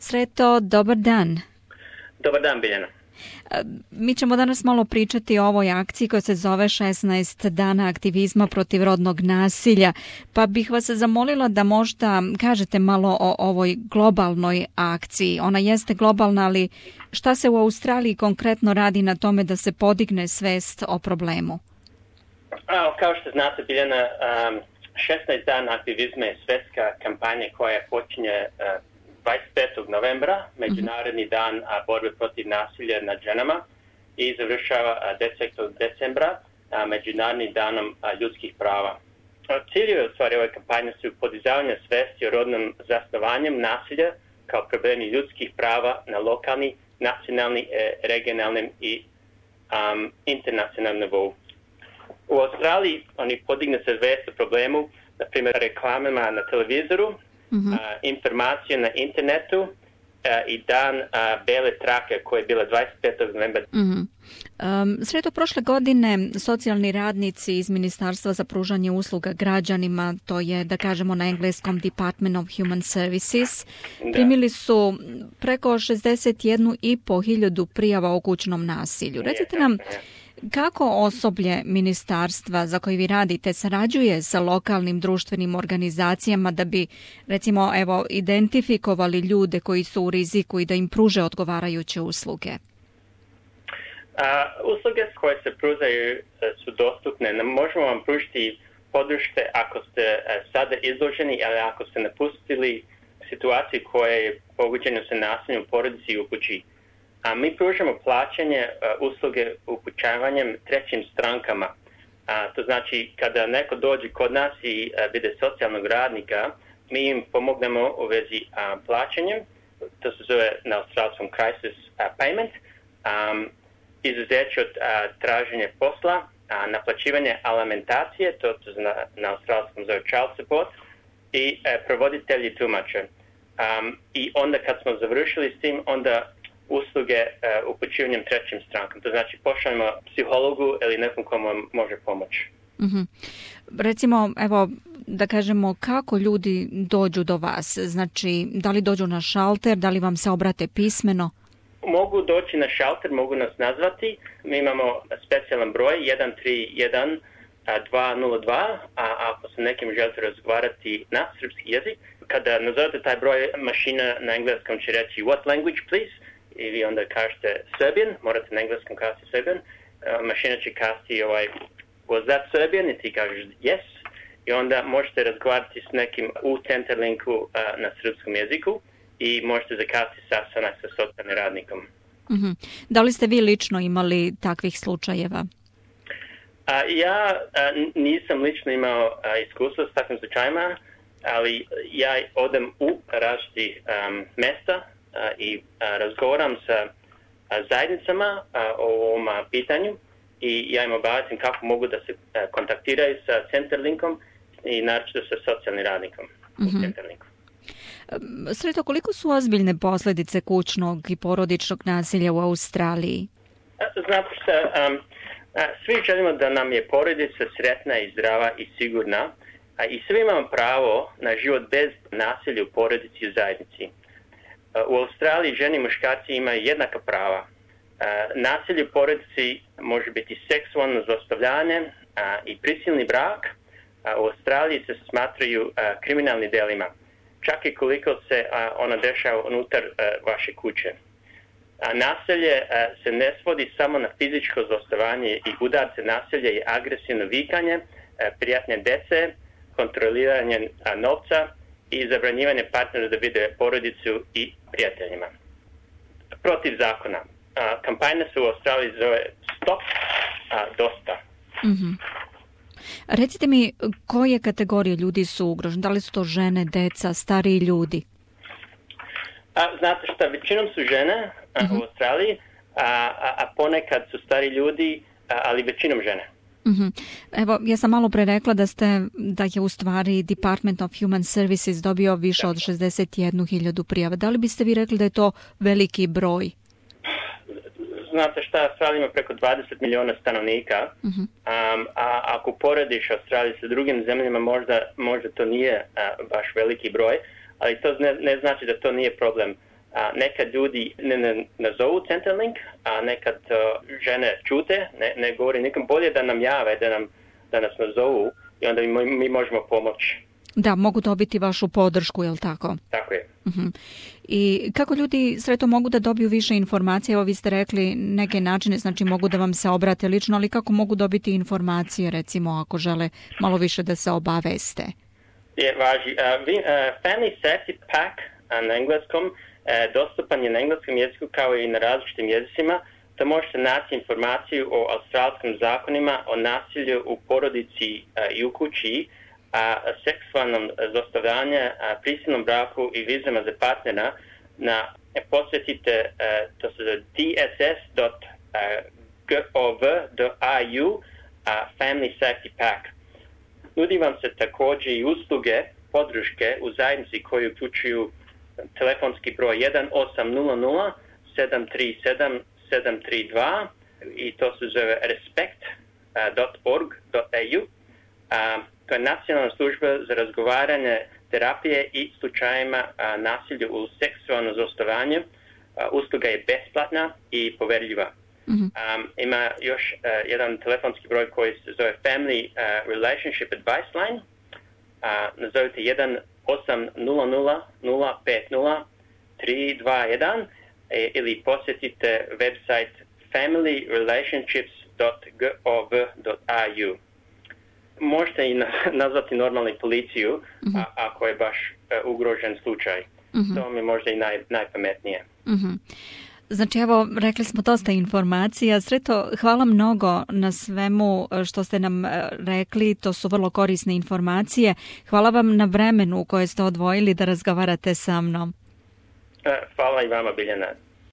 Sreto, dobar dan. Dobar dan, Biljana. Mi ćemo danas malo pričati o ovoj akciji koja se zove 16 dana aktivizma protiv rodnog nasilja, pa bih vas zamolila da možda kažete malo o ovoj globalnoj akciji. Ona jeste globalna, ali šta se u Australiji konkretno radi na tome da se podigne svest o problemu? Kao što znate, Biljana, 16 dana aktivizma je svjetska kampanja koja počinje 25. novembra, Međunarodni dan borbe protiv nasilja nad ženama, i završava 10. decembra Međunarodnim danom ljudskih prava. Ciljevi u stvari ove kampanje su podizavanje svesti o rodnom zasnovanjem nasilja kao problemi ljudskih prava na lokalni, nacionalni, regionalnim i internacionalnom nivou. U Australiji oni podigne se svest o problemu, na primjer reklamama na televizoru, informacije na internetu i dan bele trake koja je bila 25. novembra. Sredo, prošle godine socijalni radnici iz Ministarstva za pružanje usluga građanima, to je da kažemo na engleskom Department of Human Services, primili su preko 61.500 prijava o kućnom nasilju. Recite nam, kako osoblje ministarstva za koje vi radite sarađuje sa lokalnim društvenim organizacijama da bi, recimo, identifikovali ljude koji su u riziku i da im pruže odgovarajuće usluge? Usluge koje se pružaju su dostupne. Možemo vam pružiti podrške ako ste sada izloženi, ali ako ste napustili situaciju koja je pogođena sa nasiljem u porodici i u kući. Mi pružamo plaćanje usluge upućavanjem trećim strankama. To znači kada neko dođe kod nas i vide socijalnog radnika, mi im pomognemo u vezi plaćanjem. To se zove na australskom crisis payment. Izuzeće od traženja posla, naplaćivanje alimentacije, to se na australskom zove child support, i provoditelji tumača. I onda kad smo završili s tim, onda usluge upućivanjem trećim strankama. To znači pošaljemo psihologu ili nekom komu može pomoći. Recimo, da kažemo, kako ljudi dođu do vas? Znači, da li dođu na šalter, da li vam se obrate pismeno? Mogu doći na šalter, mogu nas nazvati. Mi imamo specijalan broj 131 202, a ako se nekim želite razgovarati na srpski jezik, kada nazovete taj broj, mašina na engleskom će reći what language please, i vi onda kažete Serbian, morate na engleskom kazati Serbian, mašina će kazati was that Serbian, i ti kažeš yes, i onda možete razgovarati s nekim u Centerlinku na srpskom jeziku i možete zakazati sastanak sa socijalnim radnikom. Da li ste vi lično imali takvih slučajeva? Ja nisam lično imao iskustva s takvim slučajima, ali ja odem u različiti mesta i razgovaram sa zajednicama o ovom pitanju i ja im obavestim kako mogu da se kontaktiraju sa Centerlinkom i naročito sa socijalnim radnikom u Centerlinku. Sreto, koliko su ozbiljne posljedice kućnog i porodičnog nasilja u Australiji? Znate što, svi želimo da nam je porodica sretna i zdrava i sigurna, i svi imamo pravo na život bez nasilja u porodici i u zajednici. U Australiji žene i muškarci imaju jednaka prava. Nasilje u porodici može biti seksualno zlostavljanje i prisilni brak. U Australiji se smatraju kriminalnim delima, čak i koliko se ono dešava unutar vaše kuće. Nasilje se ne svodi samo na fizičko zlostavljanje i udarce. Nasilje i agresivno vikanje, prijatnje dece, kontroliranje novca i zabranjivanje partnera da vide porodicu i prijateljima. Protiv zakona. Kampanja se u Australiji zove Stop dosta. Recite mi, koje kategorije ljudi su ugrožene? Da li su to žene, deca, stariji ljudi? Znate šta, većinom su žene u Australiji, a ponekad su stari ljudi, ali većinom žene. Evo, ja sam malo pre rekla da je u stvari Department of Human Services dobio više od 61.000 prijava. Da li biste vi rekli da je to veliki broj? Znate šta, Australija ima preko 20 miliona stanovnika, a ako porediš Australiju sa drugim zemljama, možda to nije baš veliki broj, ali to ne znači da to nije problem. nekad ljudi ne nazovu Centrelink, a nekad žene čute, ne govori nikom. Bolje da nam jave, da nas nazovu i onda mi možemo pomoći. Da, mogu dobiti vašu podršku, je li tako? Tako je. Uh-huh. I kako ljudi Sreto mogu da dobiju više informacije? Evo vi ste rekli neke načine, znači mogu da vam se obrate lično, ali kako mogu dobiti informacije, recimo, ako žele malo više da se obaveste? Važi. Family Safety Pack na engleskom dostupan je na engleskom jeziku kao i na različitim jezicima. To možete naći informaciju o australskim zakonima o nasilju u porodici i u kući, seksualnom zlostavljanju, prisilnom braku i vizama za partnera posjetite to se zove dss.gov.au Family Safety Pack. Nudi vam se također i usluge podrške u zajednici koji uključuju telefonski broj 1800 737 732 i to se zove respect.org.au. To je nacionalna služba za razgovaranje, terapije i slučajima nasilja u seksualnom zlostavljanju. Usluga je besplatna i poverljiva. Mm-hmm. Ima još jedan telefonski broj koji se zove Family Relationship Advice Line. Nazovite 1-800-050-321 ili posjetite website familyrelationships.gov.au. Možete i nazvati normalnu policiju ako je baš ugrožen slučaj. To mi je možda i najpametnije. Znači evo, rekli smo dosta informacija. Sreto, hvala mnogo na svemu što ste nam rekli. To su vrlo korisne informacije. Hvala vam na vremenu koje ste odvojili da razgovarate sa mnom. Hvala i vama, Biljana.